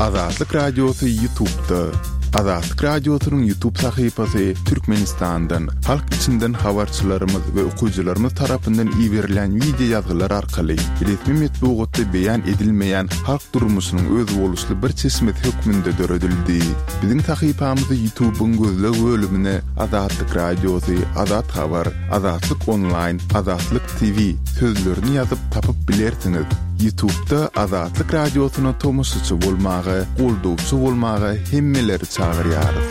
Azatlyk Radiosy Ýutubda. Azatlyk Radiosynyň Ýutub sahypasy Türkmenistandan, halk içinden habarçylarymyz we okyjylarymyz tarapyndan iberilýän wideo ýazgylar arkaly resmi metbugatda beýan edilmeýän halk durmuşynyň özboluşly bir çeşmesi hökmünde döredildi. Biziň sahypamyzy Ýutubyň gözleg bölümine Azatlyk Radiosy, Azat Habar, Azatlyk Onlaýn, Azatlyk TV sözlerini ýazyp tapyp bilersiňiz. Ýutubda Azatlyk Radiosyna tomaşaçy bolmaga, goldawçy bolmaga hemmeleri çagyrýarys.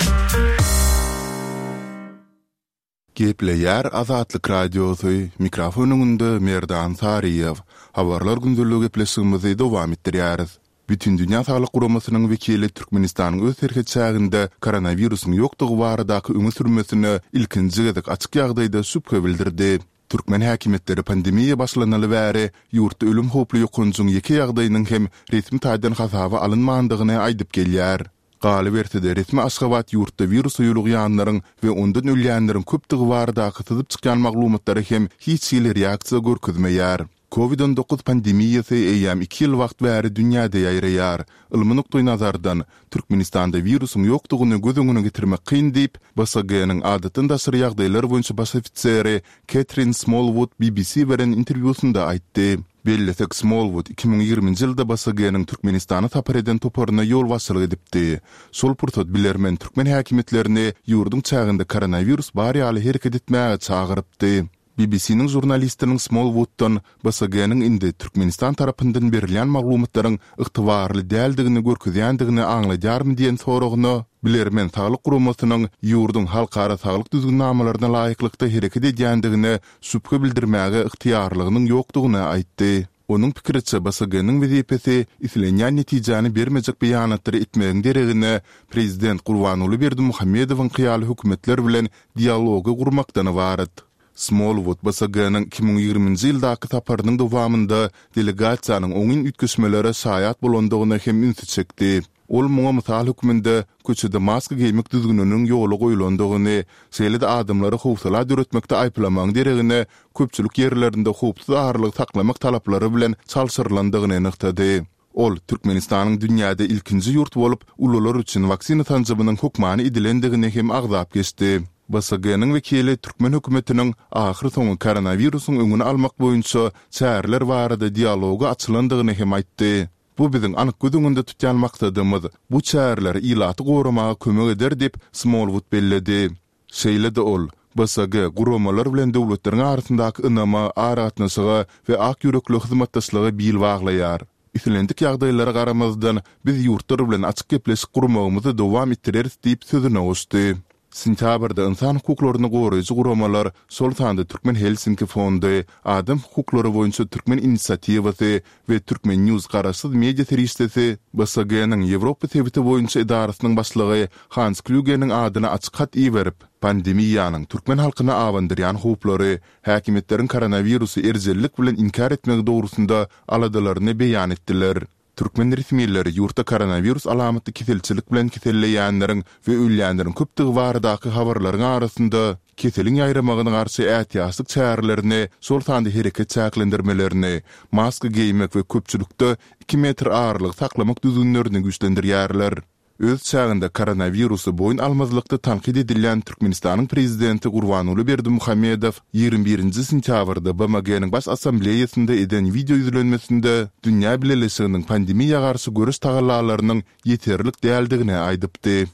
Gepleýär Azatlyk Radiosy, mikrofon öňünde Merdan Saryýew. Habarlar gündeligi gepleşigimizi dowam etdirýäris. Bütindünýä Saglyk Guramasynyň wekili Türkmenistanyň öz serhet çäginde koronawirusyň ýokdugy baradaky öňe sürmesine ilkinji gezek açyk ýagdaýda şübhe bildirdi. Türkmen häkimiýetleri pandemiýa başlanaly bäri ýurtda ölüm howply ýokanjyň ýeke ýagdaýynyň hem resmi taýdan hasaba alynmandygyny aýdyp gelýär. Galyberse-de, resmi Aşgabat ýurtda wirusa ýolugýanlaryň we ondan ölýänleriň köpdügi baradaky syzyp çykýan maglumatlara hem hiç hili reaksiýa görkezmeýär. Covid 19 pandemiýasy eýýäm iki ýyl wagt bäri dünýäde ýaýraýar. Ylmy nukdaýnazardan, Türkmenistanda wirusyň ýokdugyny göz öňüne getirmek kyn diýip, BSG-niň adatdan daşary ýagdaýlar boýunça baş ofiseri Ketrin Smolwud BBC beren interwýusynda aýtdy. Bellesek, Smolwud 2020-nji ýylda BSG-niň Türkmenistana sapar eden toparyna ýolbaşçylyk edipdi. Şol pursat bilermen türkmen häkimiýetlerini ýurduň çäginde koronawirus bar ýaly hereket etmäge çagyrypdy. BBC-niň žurnalistiniň Smolwuddan BSG-niň indi Türkmenistan tarapyndan berilýän maglumatlaryň ygtybarly däldigini görkezýändigini aňladýarmy diýen soragyna, bilermen saglyk guramasynyň ýurduň halkara saglyk düzgünnamalaryna laýyklykda hereket edýändigine şübhe bildirmäge ygtyýarlygynyň ýokdugyny aýtdy. Onuň pikiriçe, BSG-niň wezipesi islenýän netijäni bermejek beýanatlary etmegiň deregine, prezident Gurbanguly Berdimuhamedowyňky ýaly hökümetler bilen dialogy gurmakdan ybarat. Smolwud BSG-niň 2020-nji ýyldaky saparynyň dowamynda delegasiýanyň oňyn üýtgeşmelere şaýat bolandygyna hem ünsi çekdi. Ol muňa mysal hökmünde köçede maska geýmek düzgüniniň ýola goýlandygyny, şeýle-de adamlary howsala döretmekde aýyplamagyň deregine köpçülik ýerlerinde howpsuz aralygy saklamak talaplary bilen çalşyrylandygyny nygtady. Ol Türkmenistanyň dünýäde ilkinji ýurt bolup, ulular üçin waksina sanjymynyň hökmany edilendigini hem agzap geçdi. BSG-niň wekili türkmen hökümetiniň ahyrsoňy koronawirusyň öňüni almak boýunça çäreler barada dialoga açylandygyny hem aýtdy. Bu biziň anyk göz öňünde tutýan maksadymyz. Bu çäreler ilaty goramaga kömek eder diýip, Smolwud belledi. Şeýle-de ol, BSG guramalar bilen döwletleriň arasyndaky ynama, aragatnaşyga we ak ýürekli hyzmatdaşlyga bil baglaýar. Islendik ýagdaýlara garamazdan, biz ýurtlar bilen açyk gepleşik gurmagymyzy dowam etdireris diýip sözüne goşdy. Sentýabrda ynsan hukuklaryny goraýjy guramalar, şol sanda Türkmen Helsinki fondy, Adam hukuklary boýunça Türkmen inisiatiwasy we Turkmen News garaşsyz media serişdesi BSG-niň Ýewropa sebiti boýunça edarasynyň başlygy Hans Klýugeniň adyna açyk hat iberip, pandemiýanyň türkmen halkyna abandyrýan howplary, häkimiýetleriň koronawirusy erjellik bilen inkär etmegi dogrusynda aladalaryny beýan etdiler. Türkmen resmileri ýurtda koronawirus alamatly keselçilik bilen keselleýänleriň we ölýänleriň köpdügi baradaky habarlaryň arasynda, keseliň ýaýramagyna garşy ätiýaçlyk çärelerini, şol sanda hereket çäklendirmelerini, maska geýmek we köpçülikde iki metr aralygy saklamak düzgünlerini güýçlendirýärler. Öz çäginde koronawirusy boýun almazlykda tankyt edilýän Türkmenistanyň prezidenti Gurbanguly Berdimuhamedow 21-nji sentýabrda BMG-niň Baş Assambleýasynda eden wideo ýüzlenmesinde dünýä bileleşiginiň pandemiýa garşy göreş tagallalarynyň ýeterlik däldigini aýdypdy.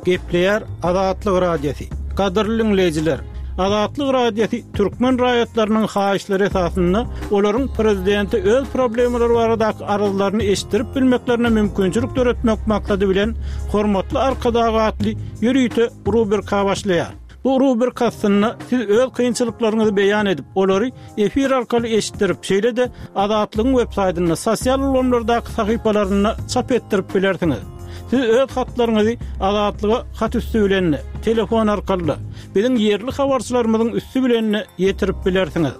Gepleýär Azatlyk Radiosy. Gadyrly diňleýjiler, Azatlyk Radiosy türkmen raýatlarynyň haýyşlary esasynda olaryň prezidente öz problemalary baradaky arzlaryny eşitdirip bilmeklerine mümkinçilik döretmek maksady bilen Hormatly Arkadag atly ýörite rubrika başlaýar. Bu rubrika astynda siz öz kynçylyklaryňyzy beýan edip, olary efir arkaly eşitdirip, şeýle-de Azatlygyň web saýtynda, sosial ulgamlardaky sahypalarynda çap etdirip bilersiňiz. Siz öz hatlaryňyzy Azatlyga hat üsti bilen-de, telefon arkaly-da, biziň ýerli habarçylarymyzyň üsti bilen-de ýetirip bilersiňiz.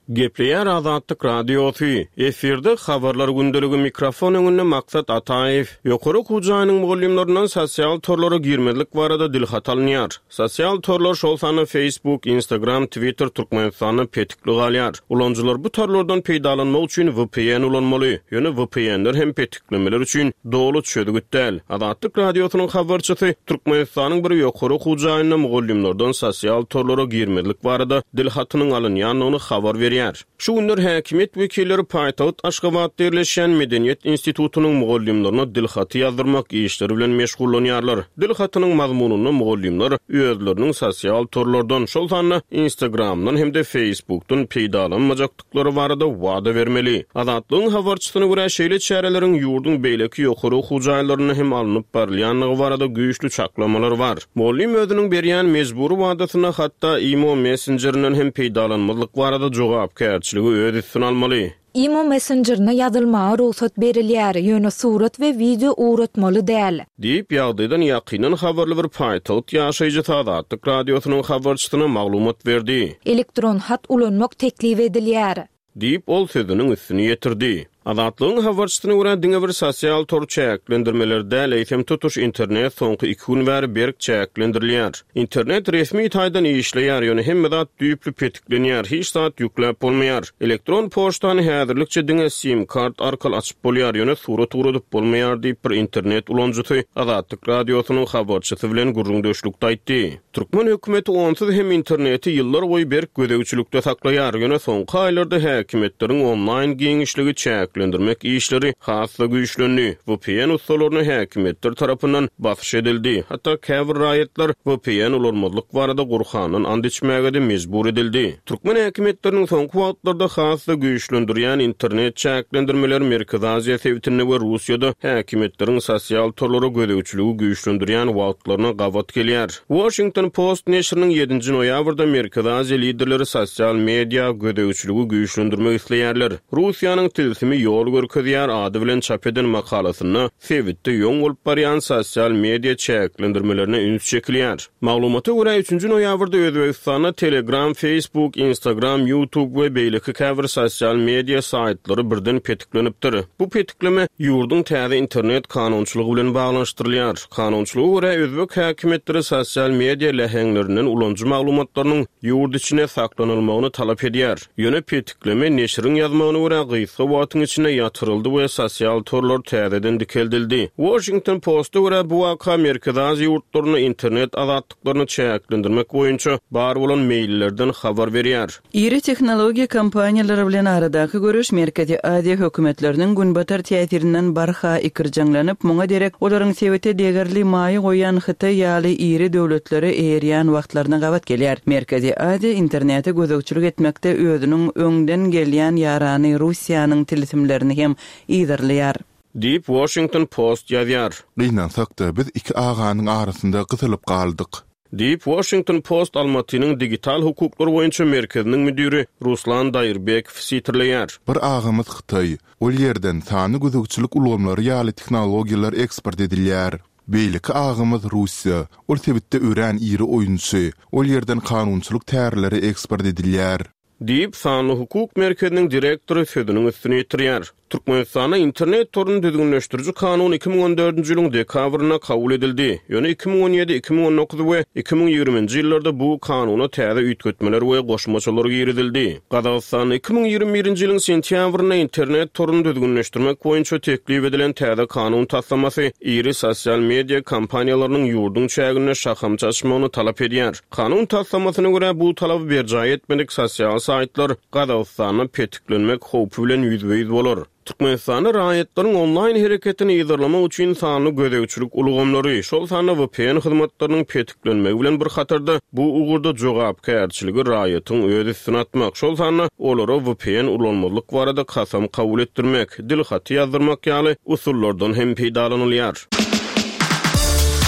Gepleýär Azatlyk Radiosy, Efirde Habarlar gündeligi mikrofon öňünde Maksat Ataýew. Ýokary okuw jaýynyň mugallymlaryndan sosial torlara girmezlik barada dilhat alynýar. Sosial torlar, şol sanda Facebook, Instagram, Twitter Türkmenistanda petikli galýar. Ulanyjylar bu torlardan peýdalanmak üçin vpn ulanmaly. Ýöne VPN-ler hem petiklemeler üçin doly çözgüt däl. Azatlyk Radiosynyň habarçysy Türkmenistanyň bir ýokary okuw jaýynda mugallymlardan sosial torlara girmezlik barada dil hatynyň alynýandygyny habar berýär. Şu günler häkimiýet wekilleri paýtagt Aşgabatda ýerleşýän Medeniýet institutynyň mugallymlaryna dil haty ýazdyrmak işleri bilen meşgullanýarlar. Dil hatynyň mazmunynda mugallymlar özleriniň sosial torlardan, şol sanda Instagramdan hem-de Facebookdan peýdalanmajakdyklaryny ýokduklary barada wada bermeli. Azatlygyň habarçysyna görä, şeýle çäreleriň ýurduň beýleki ýokary okuw jaýlarynda hem alnyp barylýandygy barada güýçli çaklamalar bar. Mugallym özüniň berýän mejbury wadasynda hatda imo messenjerinden hem peýdalanmazlyk barada jogapkärçiligi öz üstüne almaly. Imo messenjerine ýazylmaga rugsat berilýär, ýöne surat we wideo ugratmaly däl. Diýip, ýagdaýdan ýakyndan habarly bir paýtagt ýaşaýjysy Azatlyk Radiosynyň habarçysyna maglumat berdi. Elektron hat ulanmak teklip edilýär. Diýip, ol sözüniň üstüni ýetirdi. Azatlygyň habarçysyna görä, diňe bir sosial tor çäklendirmeleri däl, eýsem tutuş internet soňky iki gün bäri berk çäklendirilýär. Internet resmi taýdan işleýär, ýöne hemme zat düýpli petiklenýär, hiç zat ýükläp bolmaýar. Elektron poçtany häzirlikçe diňe sim-kart arkaly açyp bolýar, ýöne surat ugradyp bolmaýar diýip, bir internet ulanyjysy Azatlyk Radiosynyň habarçysy bilen gürrüňdeşlikde aýtdy. Türkmen hökümeti onsuz hem interneti ýyllar boýy berk gözegçilikde saklaýar, ýöne soňky aýlarda häkimiýetleriň onlaýn giňişligi çäklendirmek işleri has-da güýçlendi, vpn ussalaryna häkimiýetler tarapyndan basyş edildi, hatda käbir raýatlar vpn ulanmazlyk barada Gurhandan ant içmäge-de mejbur edildi. Türkmen häkimiýetleriniň soňky wagtlarda has-da güýçlendirýän internet çäklendirmeleri Merkezi Aziýa sebitinde we Russiýada häkimiýetleriň sosial torlara gözegçiligi güýçlendirýän wagtlaryna gabat gelýär. Washington Post neşiriniň ýedinji noýabrda Merkezi Aziýa liderleri sosial media gözegçiligi güýçlendirmek isleýärler, Russiýanyň tilsimi ýol görkezýär ady bilen çap eden makalasynda sebitde ýoň bolup barýan sosial media çäklendirmelerine üns çekilýär. Maglumata görä, üçünji noýabrda Özbegistanda Telegram, Facebook, Instagram, YouTube we beýleki käbir sosial media saýtlary birden petiklenipdir. Bu petikleme ýurduň täze internet kanunçylygy bilen baglanyşdyrylýar. Kanunçylyga görä, özbek häkimiýetleri sosial media läheňlerinden ulanyjy maglumatlarynyň ýurt içinde saklanylmagyny talap edýär. Ýöne petikleme, neşiriň ýazmagyna görä, gysga wagtyň içinde ýatyryldy we sosial torlar täzeden dikeldildi. Washington Post-a görä, bu waka Merkezi Aziýa ýurtlarynda internet azatlyklaryny çäklendirmek boýunça bar bolan meýillerden habar berýär. Iri tehnologiýa kompaniýalary bilen aradaky göreş Merkezi Aziýa hökümetleriniň Günbatar täsirinden barha ikirjeňlenip, muňa derek olaryň sebite degerli maýa goýýan Hytaý ýaly iri döwletlere eýerýän wagtlaryna gabat gelýär. Merkezi Aziýa internete gözegçilik etmekde özüniň öňden gelýän ýarany Russiýanyň tilsimlerini hem yzarlaýar. Diýip, Washington Post ýazýar. Gynansak-da, biz iki aganyň arasynda gysylyp galdyk. Diýip, Washington Post Almatynyň digital hukuklar boýunça merkeziniň müdiri Ruslan Daýyrbekow sitirleýär. Bir agamyz Hytaý. Ol ýerden sanly gözegçilik ulgamlary ýaly tehnologiýalar eksport edilýär. Beýleki agymyz Russiýa. Ol sebitde örän iri oýunçy. Ol ýerden kanunçylyk tärleri eksport edilýär. Diýip, Sanly hukuk merkeziniň direktory sözüniň üstüni ýetirýär. Türkmenistanda internet toruny düzgünleşdiriji kanun 2014-nji ýylyň dekabrynda kabul edildi. Ýöne 2017, 2019 we 2020-nji ýyllarda bu kanuna täze üýtgetmeler we goşmaçalar girizildi. Gazagystanda 2021-nji ýylyň sentýabrynda internet toruny düzgünleşdirmek boýunça teklip edilen täze kanun taslamasy iri sosial media kompaniýalarynyň ýurduň çäginde şahamça açmagyny talap edýär. Kanun taslamasyna görä, bu talaby berjaý etmedik sosial saýtlar Gazagystanda petiklenmek howpy bilen ýüzbe-ýüz bolar. Türkmenistanda raýatlaryň onlaýn hereketini yzarlamak üçin sanly gözegçilik ulgamlary, şol sanda vpn hyzmatlarynyň petiklenmegi bilen bir hatarda, bu ugurda jogapkärçiligi raýatyň öz üstüne atmak, şol sanda olara vpn ulanmazlyk barada kasam kabul etdirmek, dil haty ýazdyrmak ýaly usullardan hem peýdalanylýar.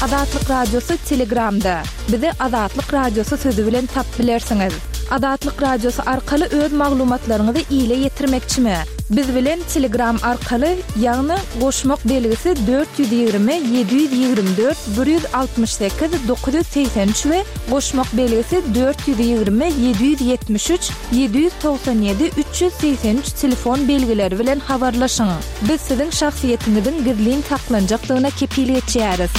Azatlyk Radiosy Telegramda. Bizi Azatlyk Radiosy sözi bilen tap bilersiňiz. Azatlyk Radiosy arkaly öz maglumatlaryňyzy ile ýetirmekçimi? Biz bilen Telegram arkaly, ýagny goşmak belgisi 420 724 168 983 we goşmak belgisi 420 773 797 383 telefon belgileri bilen habarlaşyň. Biz siziň şahsyýetiňiziň gizlin saklanjakdygyna kepil geçýäris.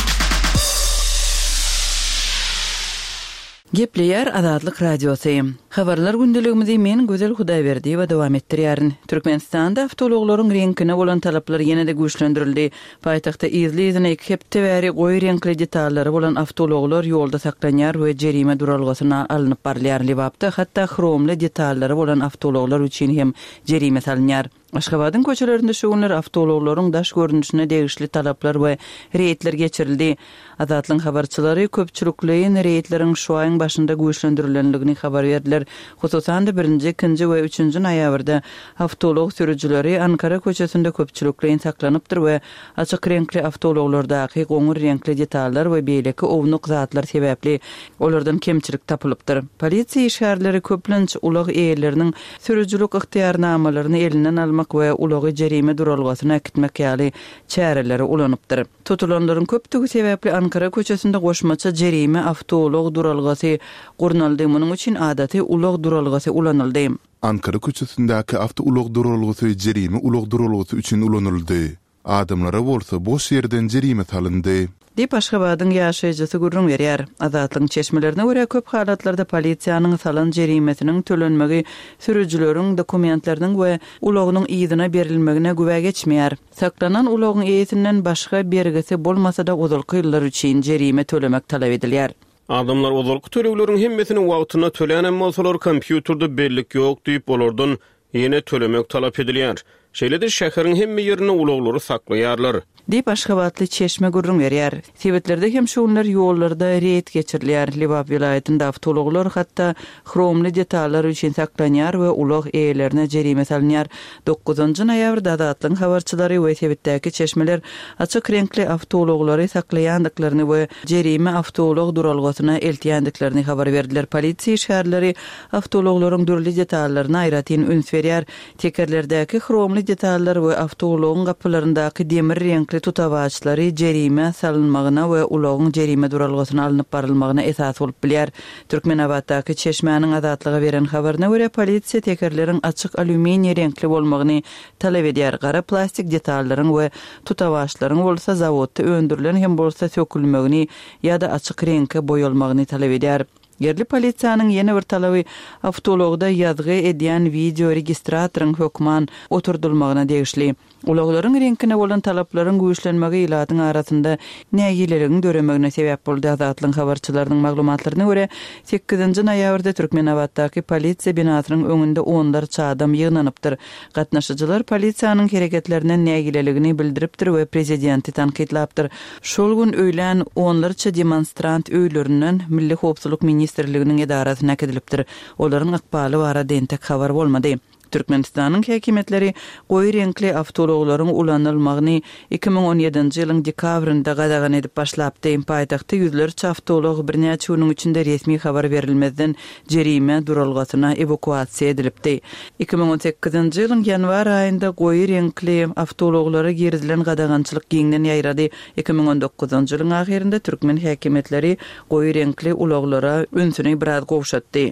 Gepleýär Azatlyk Radiosy. Habarlar gündeligimizi men Gözel Hudaýberdiýewa dowam etdirýärin. Türkmenistanda awtoulaglaryň reňkine bolan talaplar ýene-de güýçlendirildi. Paýtagtda yzly-yzyna iki hepde bäri goýy reňkli detallary bolan awtoulaglar ýolda saklanýar we jerime duralgasyna alnyp barylýar. Lebapda hatda hromly detallary bolan awtoulaglar üçin hem jerime salynýar. Aşgabadyň köçelerinde şu günler awtoulaglaryň daş görnüşine degişli talaplar we reýdler geçirildi. Azatlygyň habarçylary köpçülikleýin reýdleriň şu aýyň başynda güýçlendirilendigini habar berdiler. Hususan-da, birinji, ikinji we üçünji noýabrda awtoulag sürüjileri Ankara köçesinde köpçülikleýin saklanypdyr we açyk reňkli awtoulaglardaky goňur reňkli detallar we beýleki ownuk zatlar sebäpli olardan kemçilik tapylypdyr. Polisiýa işgärleri köplenç ulag eýeleriniň Sürüjilik ygtyýarnamalaryny elinden almak we ulagy jerime duralgasyna äkitmek ýaly çäreleri ulanypdyr. Tutulanlaryň köpdügi sebäpli Ankara köçesinde goşmaça jerime awtoulag duralgasy gurnaldy, munuň üçin adaty ulag duralgasy ulanyldy. Ankara köçesindäki awtoulag duralgasy jerime ulag duralgasy üçin ulanyldy. Adamlara bolsa boş ýerden jerime salyndy. Diýip, Aşgabadyň ýaşaýjysy gürrüň berýär. Azatlygyň çeşmelerine görä, köp halatlarda polisiýanyň salan jerimesiniň tölenmegi sürüjileriň dokumentleriniň we ulagynyň yzyna berilmegine güwä geçmeýär. Saklanan ulagyň eýesinden başga bergisi bolmasa-da ozalky ýyllar üçin jerime tölemek talap edilýär. Adamlar ozalky tölegleriň hemmesini wagtynda tölänem bolsalar, kompýuterde bellik ýok diýip, olardan Ýene tölemek talap edilýär. Şeýle-de şäheriň hemme ýerinde ulaglary saklaýarlar. Diýip, aşgabatly çeşme gürrüň berýär. Sebitlerde hem şu günler ýollarda reýd geçirilýär. Lebap welaýatynda awtoulaglar hatda hromly detallar üçin saklanýar we ulag eýelerine jerime salynýar. Dokuzynjy noýabrda Azatlygyň habarçylary we sebitdäki çeşmeler açyk reňkli awtoulaglary saklaýandyklaryny we jerime awtoulag duralgasyna eltýändiklerini habar berdiler. Polisiýa işgärleri Awtoulaglaryň dürli detallaryna aýratyn üns berýär. Tekerlerdäki hromly detallar we awtoulagyň gapylaryndaky demir reňkli tutawaçlary jerime salynmagyna we ulagyň jerime duralgasyna alnyp barylmagyna esas bolup bilýär. Türkmenabatdaky çeşmäniň Azatlyga beren habaryna görä, polisiýa tekerleriň açyk alýuminiý reňkli bolmagyny talap edýär, gara plastik detallaryň we tutawaçlaryň bolsa zawodda öndürilen hem bolsa sökülmegini ýa-da açyk reňke boýalmagyny talap edýär. Ýerli polisiýanyň ýene bir talaby awtoulagda ýazgy edýän wideoregistratoryň hökman oturdylmagyna degişli. Ulaglaryň reňkine bolan talaplaryň güýçlenmegi ilatyň arasynda nägileligiň döremegine sebäp boldy. Azatlygyň habarçylarynyň maglumatlaryna görä, sekizinji noýabrda Türkmenabatdaky polisiýa binasynyň öňünde onlarça adam ýygnanypdyr. Gatnaşyjylar polisiýanyň hereketlerinden nägileligini bildiripdir we prezidenti tankytlapdyr. Şol gün öýlän onlarça demonstrant öýlerinden Milli howpsuzlyk ministrliginiň edarasyna äkidilipdir. Olaryň ykbaly barada entek habar bolmady. Türkmenistanyň häkimiýetleri goýy reňkli awtoulaglaryň ulanylmagyny 2017-nji ýylyň dekabrynda gadagan edip başlapdy. Paýtagtda ýüzlerçe awtoulag birnäçe günüň içinde resmi habar berilmezden jerime duralgasyna ewakuasiýa edilipdi. 2018-nji ýylyň ýanwar aýynda goýy reňkli awtoulaglara girizilen gadagançylyk giňden ýaýrady. 2019-njy ýylyň ahyrynda türkmen häkimiýetleri goýy reňkli ulaglara ünsüni biraz gowşatdy.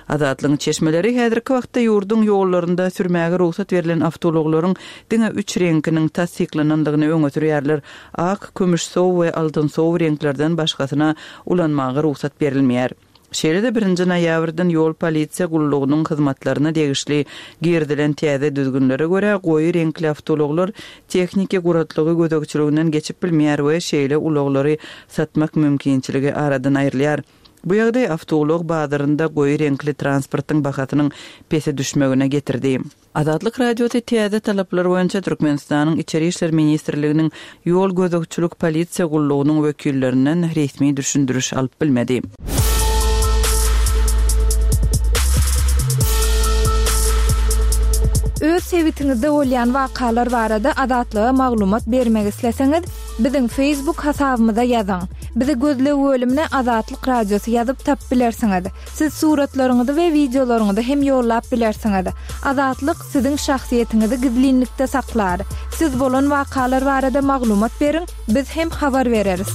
Azatlygyň çeşmeleri häzirki wagtda ýurduň ýollarynda sürmäge rugsat berlen awtoulaglaryň diňe üç reňkiniň tassyklanandygyny öňe sürýärler, ak, kümüşsow we altynsow reňklerden başgasyna ulanmaga rugsat berilmeýär. Şeýle-de birinji noýabrdan ýol polisiýa gullugynyň hyzmatlaryna degişli girizilen täze düzgünlere görä, goýy reňkli awtoulaglar tehniki guratlygy gözegçiliginden geçip bilmeýär we şeýle ulaglary satmak mümkinçiligi aradan aýrylýar. Bu ýagdaý awtoulag bazarynda goýy reňkli transportyň bahasynyň pese düşmegine getirdi. Azatlyk Radiosy täze talaplar boýunça Türkmenistanyň Içeri işler ministrliginiň Ýol gözegçilik polisiýa gullugynyň wekillerinden resmi düşündiriş alyp bilmedi. Öz sebitiňizde bolýan wakalar barada Azatlyga maglumat bermek isleseňiz, Biziň Facebook hasabymyza ýazyň. Bizi gözleg bölümine Azatlyk Radiosy ýazyp tapyp bilersiňiz. Siz suratlaryňyzy we wideolaryňyzy hem ýollap bilersiňiz. Azatlyk siziň şahsyýetiňizi gizlinlikde saklar. Siz bolan wakalar barada maglumat beriň, biz hem habar bereris.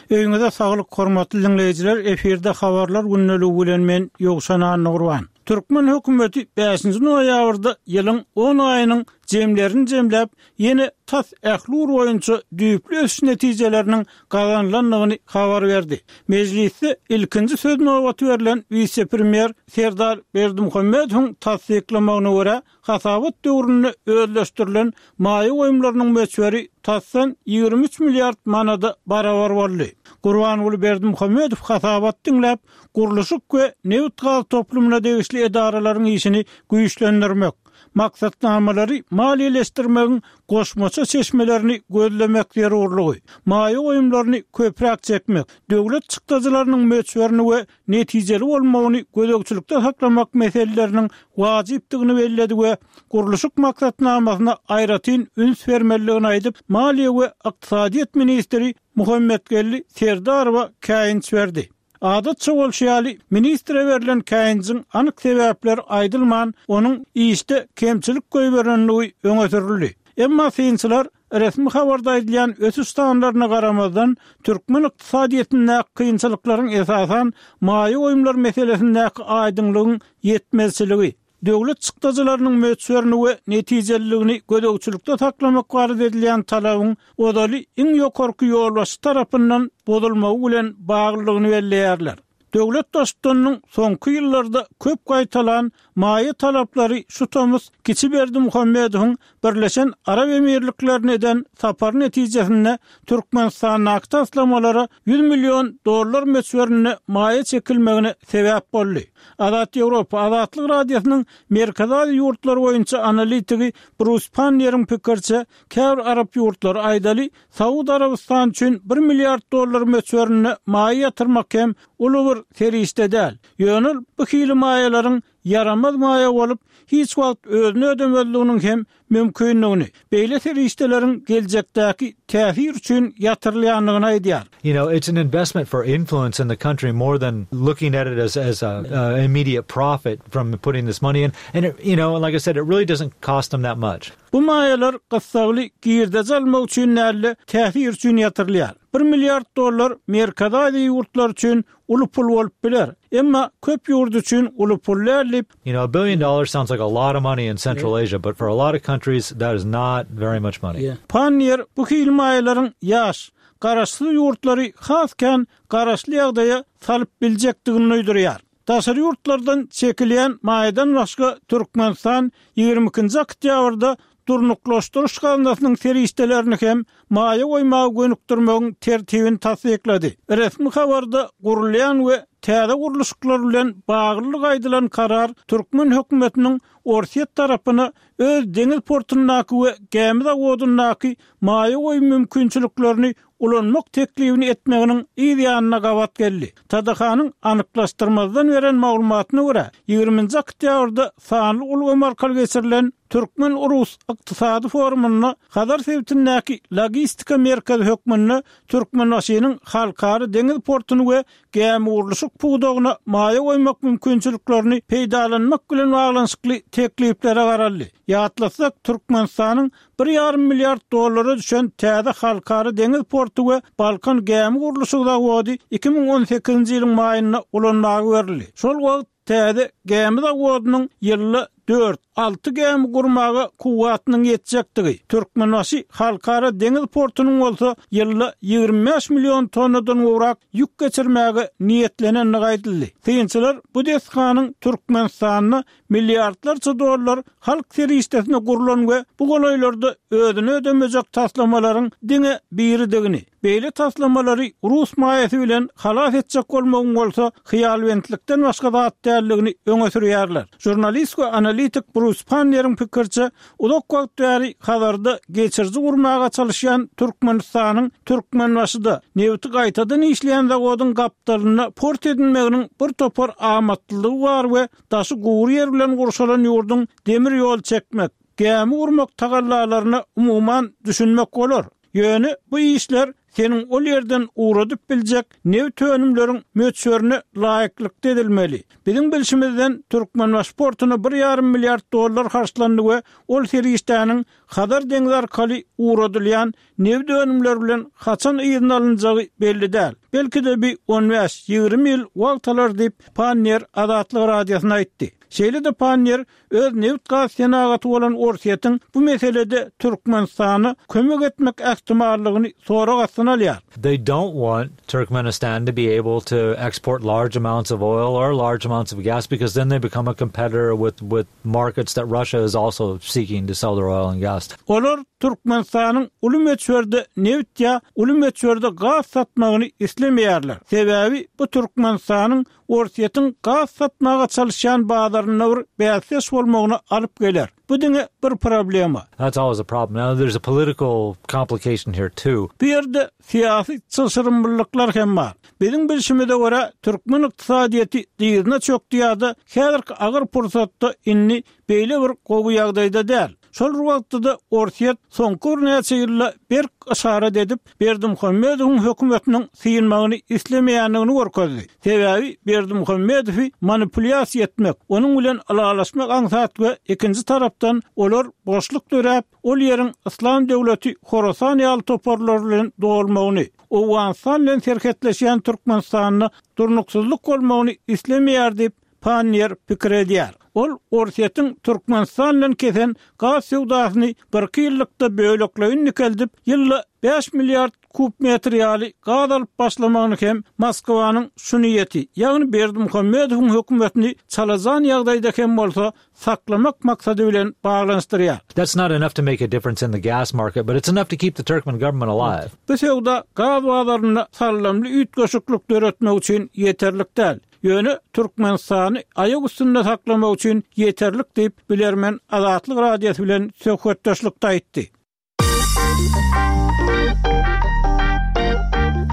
Öýüňize saglyk hormatly diňleýjiler efirde habarlar gündeligi bilen men Ýowşan Annagurban. Türkmen hökümeti bäşinji noýabrda ýylyň on aýynyň jemlerini jemläp, ýene tas ähli ugur boýunça düýpli ösüş netijeleriniň gazanylandygyny habar berdi. Mejlisde ilkinji söz nobaty berlen wise-premýer Serdar Berdimuhamedowyň tassyklamagyna görä, hasabat döwründe özleşdirilen maýa goýumlarynyň möçberi tasdan 23 milliard manada barabar boldy. Gurbanguly Berdimuhamedow hasabaty diňläp, gurluşyk we nebit-gaz toplumyna degişli edaralaryň işini güýçlendirmek, maksatnamalary maliýeleşdirmegiň goşmaça çeşmelerini gözlemek zerurlygy, maýa goýumlaryny köpräk çekmek, döwlet çykdajylarynyň möçberini we netijeli bolmagyny gözegçilikde saklamak meseleleriniň wajypdygyny belledi we gurluşyk maksatnamasyna aýratyn üns bermelidigini aýdyp, maliýe we ykdysadyýet ministri Muhammetgeldi Serdarowa käýinç berdi. Adatça bolşy ýaly, ministre berlen käýinjiň anyk sebäpleri aýdylman, onuň işde kemçilik goýberenligi öňe sürüldi. Emma synçylar resmi habarda aýdylýan ösüş sanlaryna garamazdan, türkmen ykdysadyýetindäki kynçylyklaryň esasan maýa goýumlar meselesindäki aýdyňlygyň ýetmezçiligi, Döwlet çykdajylarynyň möçberini we netijeliligini gözegçilikde saklamak barada edilýän talabyň ozaly iň ýokarky ýolbaşçy tarapyndan bozulmagy bilen baglydygyny belleýärler. Döwlet Baştutanynyň soňky ýyllarda köp gaýtalan maýa talaplary şu tomus kiçi Berdimuhamedowyň Birleşen Arap Emirliklerine eden sapary netijesinde Türkmenistandaky taslamalara 100 million dollar möçberinde maýa çekilmegine sebäp boldy. Azat Ýewropa, Azatlyk Radiosynyň Merkezi Aziýa ýurtlary boýunça analitigi Brus Panniýeriň pikiriçe, käbir arap ýurtlary, aýdaly, Saud Arabystany üçin bir milliard dollar möçberinde maýa ýatyrmak hem uly bir serişde däl. Ýöne ol bu hili maýalaryň ýaramaz maýa bolup, hiç wagt özüni ödemezliginiň hem mümkindigini, beýle serişdeleriň geljekdäki täsir üçin ýatyrylýandygyny aýdýar. You know, it's an investment for influence in the country more than looking at it as as a a immediate profit from putting this money in. And it, you know, like I said, it really doesn't cost them that much. Bu maýalar gyssagly girdeji almak üçin däl-de, täsir üçin ýatyrylýar. Bir milliard dollar Merkezi Aziýa ýurtlary üçin uly pul bolup biler. Emma köp ýurt üçin uly pul däl diýip, You know, a billion dollars sounds like a lot of money in Central Asia, but for a lot of countries that is not very much money. Panniýer bu hili maýalaryň ýaş, garaşsyz ýurtlary has kän garaşly ýagdaýa salyp biljekdigini duýdurýar. Daşary ýurtlardan çekilýän maýadan başga Türkmenistan 22-nji oktýabrda Durnuklaşdyryş gaznasynyň serişdelerini hem maýa goýmaga gönükdirmegiň tertibini tassyklady. Resmi habarda gurulýan we täze gurluşyklar bilen baglylygy aýdylan karar türkmen hökümetiniň Orsýet tarapyna öz deňiz portundaky we gämi zawodyndaky maýa goýum mümkinçiliklerini ulanmak teklibini etmeginiň yz ýanyna gabat geldi. TDH-nyň anyklaşdyrmazdan beren maglumatyna görä, ýigriminji oktýabrda sanly ulgam arkaly geçirilen Türkmen-rus ykdysady forumynda Hazar sebitindäki logistika merkezi hökmünde Türkmenbaşynyň halkara deňiz portuny we gämigurluşyk pudagyna maýa goýmak mümkinçiliklerini peýdalanmak bilen baglanyşykly tekliplere garaldy. Ýatlatsak, Türkmenistanyň bir ýarym milliard dollara düşen täze halkara deňiz porty we Balkan gämi gurluşyk zawody 2018-nji ýylyň maýynda ulanmaga berildi. Şol wagt täze gämi zawodynyň ýylda dört, alty gämi gurmaga kuwwatynyň ýetjekdigi, Türkmenbaşy halkara deňiz portunyň bolsa ýylda 25 million tonnadan gowrak ýük geçirmäge niýetlenendigi aýdyldy. Synçylar bu desganyň Türkmenistanda milliardlarça dollar halk serişdesine gurlan we bu golaýlarda özüni ödemejek taslamalaryň diňe biridigini, beýle taslamalary rus maýasy bilen halas etjek bolmagyň bolsa hyýalbentlikden başga zat däldigini öňe sürýärler. Žurnalist we analitik Brus Panneriň pikiriçe, uzak wagt bäri Hazarda geçiriji gurmaga çalyşýan Türkmenistanyň Türkmenbaşyda nebiti gaýtadan işleýän zawodyň gapdalynda port edinmeginiň bir topar amatlylygy bar we Daşy gury ýer bilen gurşalan ýurduň demir ýol çekmek, gämi gurmak tagallalaryna umuman düşünmek bolar. Ýöne bu işler seniň ol ýerden ugradyp biljek nebit önümleriň möçberine laýyklykda edilmeli. Biziň bilşimizden, Türkmenbaşy portuna bir ýarym milliard dollar harçlandy we ol serişdäniň Hazar deňzi arkaly ugradylýan nebit önümleri bilen haçan yzyna alynjagy belli däl. Belki-de bi on bäş, 20 ýyl wagt alar diýip, Panniýer Azatlyk Radiosyna aýtdy. Şeýle-de Panniýer öz nebit-gaz senagaty bolan Orsýetiň bu meselede Türkmenistana kömek etmek ähtimallygyny sorag astyna alýar. They don't want Turkmenistan to be able to export large amounts of oil or large amounts of gas because then they become a competitor with with markets that Russia is also seeking to sell their oil and gas. Olar Türkmenistanyň uly möçberde nebit ýa uly möçberde gaz satmagyny islemeýärler. Sebäbi bu Türkmenistanyň Orsýetiň gaz satmaga çalyşýan bazarynda bir bäsdeş bolmagyna alyp geler. Bu diňe bir problema. That's always a problem. Now there's a political complication here too. Bu ýerde syýasy çylşyrymlylyklar hem bar. Biziň bilşimize görä, türkmen ykdysadyýeti dyzyna çökdi ýa-da häzirki agyr pursatda indi beýle bir gowy ýagdaýda däl. Şol bir wagtda-da Orsýet soňky birnäçe ýylda berk yşarat edip, Berdimuhamedowyň hökümetiniň synmagyny islemeýändigini görkezdi. Sebäbi Berdimuhamedowy manipulýasiýa etmek, onuň bilen ylalaşmak aňsat we ikinji tarapdan olar boşluk döräp, ol ýeriň Yslam döwleti Horasan ýaly toparlar bilen dolmagyny, Owganystan bilen serhetleşýän Türkmenistanda durnuksyzlyk bolmagyny islemeýär diýip, Panniýer pikir edýär. Ol Orsýetiň Türkmenistan bilen kesen gaz söwdasyny birki ýyllykda bölekleýin dikeldip, ýylda bäş milliard kub metr ýaly gaz alyp başlamagyny hem Moskwanyň şu niýeti, ýagny Berdimuhamedowyň hökümetini çalajan ýagdaýda hem bolsa saklamak maksady bilen baglanyşdyrýar. That's not enough to make a difference in the gas market, but it's enough to keep the Turkmen government alive. Bu söwda gaz bazarynda sallamly üýtgeşiklik döretmek üçin ýeterlik däl. Ýöne Türkmenistany aýak üstünde saklamak üçin ýeterlik diýip, bilermen Azatlyk Radiosy bilen söhbetdeşlikde aýtdy.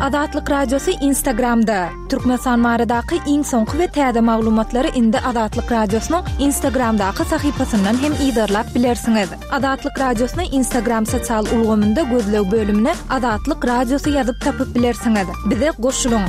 Azatlyk Radiosy Instagramda, Türkmenistan baradaky iň soňky we täze maglumatlary indi Azatlyk Radiosynyň Instagramdaky sahypasyndan hem yzarlap bilersiňiz. Azatlyk Radiosyny Instagram sosial ulgamynda gözleg bölümine Azatlyk Radiosy ýazyp tapyp bilersiňiz. Bize goşulyň!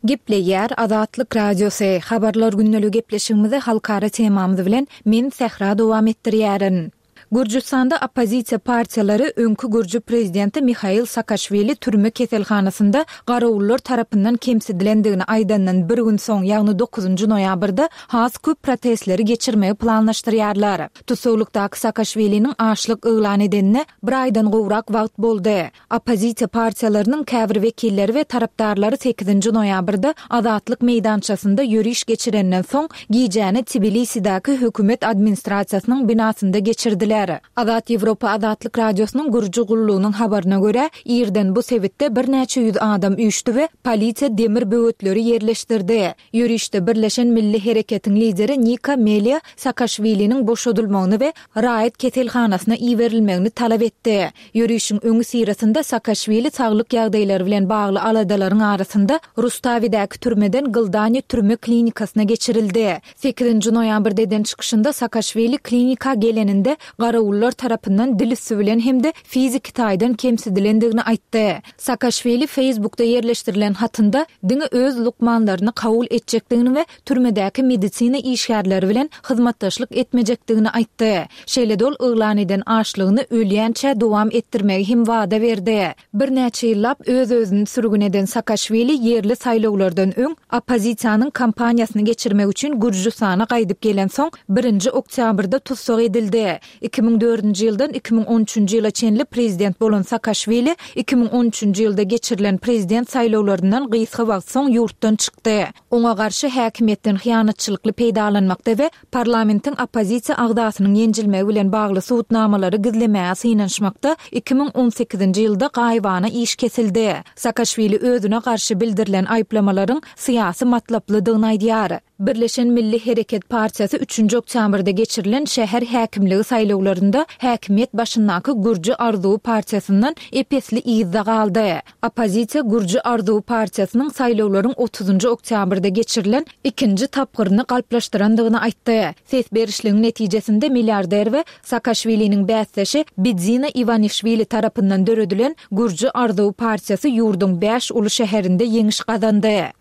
Gepleýär Azatlyk Radiosy, Habarlar gündeligi gepleşigimizi halkara temamyz bilen men Sähra dowam etdirýärin. Gürjüstanda oppozisiýa partiýalary öňki gürji prezidenti Mihail Saakaşwili türme keselhanasynda garawullar tarapyndan kemsidilendigini aýdandan bir gün soň, ýagny dokuzynjy noýabrda has köp protestleri geçirmegi planlaşdyrýarlar. Tussaglykdaky Saakaşwiliniň açlyk yglan edenine bir aýdan gowrak wagt boldy. Oppozisiýa partiýalarynyň käbir wekilleri we tarapdarlary sekizinji noýabrda Azatlyk meýdançasynda ýöriş geçirenden soň, gijäni Tbilisidäki hökümet administrasiýasynyň binasynda geçirdiler. Azat Ýewropa Azatlyk Radiosynyň Gürji gullugynyň habaryna görä, irden bu sebitde birnäçe ýüz adam üýşdi we polisiýa demir böwetleri ýerleşdirdi. Ýörişde Birleşen Milli Hereketiň lideri Nika Meliýa Saakaşwiliniň boşadylmagyny we raýat keselhanasyna iberilmegini talap etdi. Ýörişiň öňüsyrasynda Saakaşwili saglyk ýagdaýlary bilen bagly aladalaryň arasynda Rustawidäki türmeden Gldani türme klinikasyna geçirildi. Sekizinji noýabrda eden çykyşynda Saakaşwili klinika geleninde garawullar tarapyndan dil üsti bilen hem-de fiziki taýdan kemsidilendigini aýtdy. Saakaşwili Facebookda ýerleşdirilen hatynda diňe öz lukmanlaryny kabul etjekdigini we türmedäki medisina işgärleri bilen hyzmatdaşlyk etmejekdigini aýtdy. Şeýle-de ol yglan eden açlygyny ölýänçä dowam etdirmegi hem wada berdi. Birnäçe ýyllap öz-özüni sürgün eden Saakaşwili ýerli saýlawlardan öň oppozisiýanyň kampaniýasyny geçirmek üçin Gürjüstana gaýdyp gelensoň, birinji oktýabrda tussag edildi. 2004-nji ýyldan 2013-nji ýyla çenli prezident bolan Saakaşwili 2013-nji ýylda geçirilen prezident saýlawlaryndan gysga wagt soň ýurtdan çykdy. Oňa garşy häkimiýetden hyýanatçylykly peýdalanmakda we parlamentiň oppozisiýa agzasynyň ýenjilmegi bilen bagly subutnamalary gizlemäge synanyşmakda 2018-nji ýylda gaýybana iş kesildi. Saakaşwili özüne garşy bildirilen aýyplamalaryň syýasy matlaplydygyny aýdýar. Birleşen Milli Hereket partiýasy üçünji oktýabrda geçirilen şäher häkimligi saýlawlarynda häkimiýet başyndaky Gürji arzuwy partiýasyndan ep-esli yzda galdy. Oppozisiýa Gürji arzuwy partiýasynyň saýlawlaryň otuzynjy oktýabrda geçirilen ikinji tapgyryny galplaşdyrandygyny aýtdy. Ses berişligiň netijesinde milliarder we Saakaşwiliniň bäsdeşi Bidzina Iwanişwili tarapyndan döredilen Gürji arzuwy partiýasy ýurduň bäş uly şäherinde ýeňiş gazandy.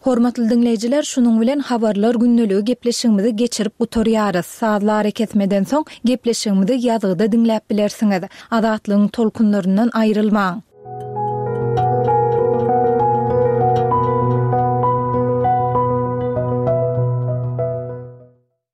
Hormatly diňleýjiler, şunuň bilen Habarlar gündeligi gepleşigimizi geçirip gutarýarys. Sazly arakesmeden soň gepleşigimizi ýazgyda diňläp bilersiňiz. Azatlygyň tolkunlaryndan aýrylmaň!